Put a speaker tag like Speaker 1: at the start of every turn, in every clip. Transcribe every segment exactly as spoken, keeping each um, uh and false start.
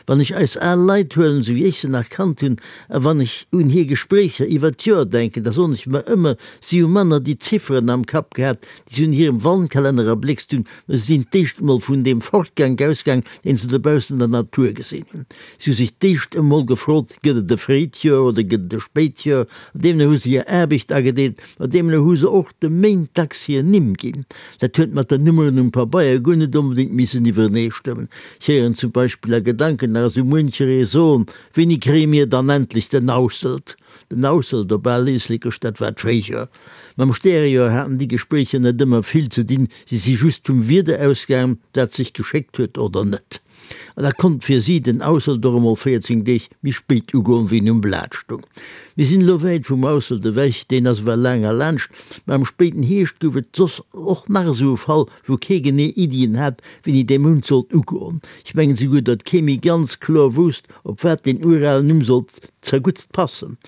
Speaker 1: Wann ech eis al Leit huelen, sou wéi ech se nach kannt hunn, a wann ech un hir Gespréicher iwwer d'Joer denken, da soen ech mer ëmmer, si hu manner déi Zifferen am Kapp gehat, déi se un hirem Wandkalenner erbléckst hunn, mä si sinn d'éischt emol vun deem Fortgank ausgaang, deen se dobaussen an der Natur gesinn hunn. Si hu sech d'éischt emol gefrot, Gëtt et e fréit Joer oder gëtt et e spéit Joer? An deemno hu se hir Aarbecht agedeelt, ma deemno hu se och de Méint dacks hir Nimm ginn. Dat huet mat den Nummeren um Pabeier guer net onbedéngt missen iwwereneestëmmen. Ech héieren zum Beispill a Gedanken nach esou muencheree soen, Wéini kréie mir dann endlech den Ausselt? Den Ausselt op al Éislekesch, dat war d'Fréijoer. Mam Stärejoer haten déi Gespréicher net ëmmer vill ze dinn, si si just vum Wieder ausgaangen, dat sech geschéckt huet oder net. An da konnt fir si den Ausselt och emol véierzéng Deeg méi spéit ugoen, wéi en um Blat stung. Mir sinn elo wäit vum Ausselt ewech, deen ass ewell laang erlaanscht, mä am spéiten Hierscht gouf et soss och nach esou e Fall, wou kee genee Iddien hat, wéini dee Mount sollt ugoen. Ech mengen souguer, datt kee méi ganz kloer wousst, op wat deen uralen Numm sollt zerguttst passen.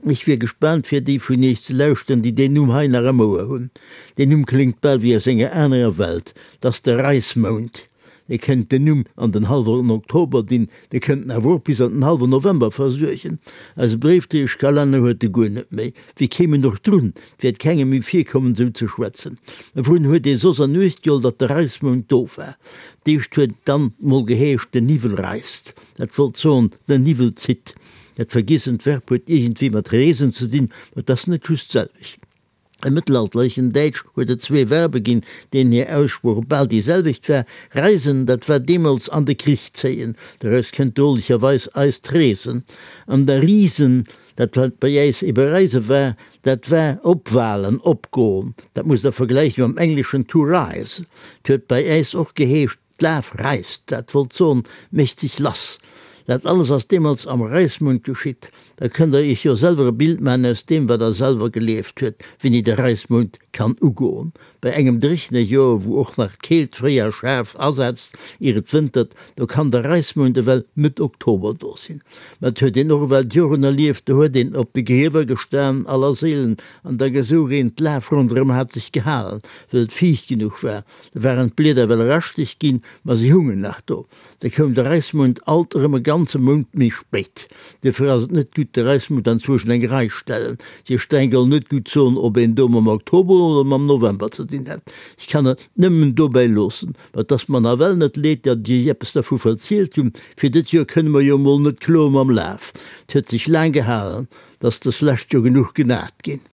Speaker 1: Ech wier gespaant fir déi vun iech ze lauschteren, déi deen Numm hei nach am Ouer hunn. Deen Numm kléngt bal wéi aus enger anerer Welt. 't ass de Reismount. Dir kënnt den Numm an den hallwen Oktober dinn, Dir kënnt en awer och bis an den hallwen November versuergen. Eise Bréifdréieschkalenner huet e guer net méi. Wéi kéim en och drun? 't wäert kengem méi virkommen, esou ze schwätzen. Mä wourun huet ee soss an Uecht geholl, datt de Reismount do war? D'éischt huet et dann mol geheescht, den Niwwel reist. Dat wollt soen, den Niwwel zitt. Dat vergiessent Verb huet iergendwéi mat reesen ze dinn, ma 't ass net just d'selwecht. Am mëttelalterlechen Däitsch huet et zwee Verbe ginn, deenen hir Aussprooch bal déi selwecht war, reisen, dat war deemools an de Krich zéien, doraus kënnt drolecherweis eist reesen, an da riesen, dat wat bei äis ebe reise war, dat war opwalen, opgoen, dat musst Der vergläiche mam engleschen to rise. 't huet bei äis och geheescht, D'Laf reisst, dat wollt soen, mécht sech lass. Dat alles ass deemools am Reismount geschitt. Da kënnt der iech jo selwer e Bild maachen aus deem, wat der selwer gelieft huet, wéini de Reismount kann ugoen. Bei engem dréchene Joer, wou och nach d'Keelt fréi a schaarf asetzt, ier et wëntert, do kann de Reismount ewell Mëtt Oktober do sinn. Mä et huet een och ewell d'Joren erlieft, do huet een op de Griewer gestan, Allerséilen, an da gesouch een, d'Laf ronderëm hat sech gehalen, well et fiicht genuch war. Da waren d'Blieder ewell raschteg ginn, ma si hungen nach do. Da koum de Reismount alt erëm e ganze Mount méi spéit. Duerfir ass et net gutt, de Reismount anzwousch an eng Rei stellen. Dir Steng soll net gutt soen, ob een do mam Oktober oder mam November ze dinn hätt. Ech kann et nëmmen dobäi loossen. Ma et ass mer nawell net leed, datt ech iech eppes dervu verzielt hunn. Fir dët Joer kënne mer jo emol net kloe mam Laf. Et huet sech laang gehalen, 't ass dës lescht jo genuch genat ginn.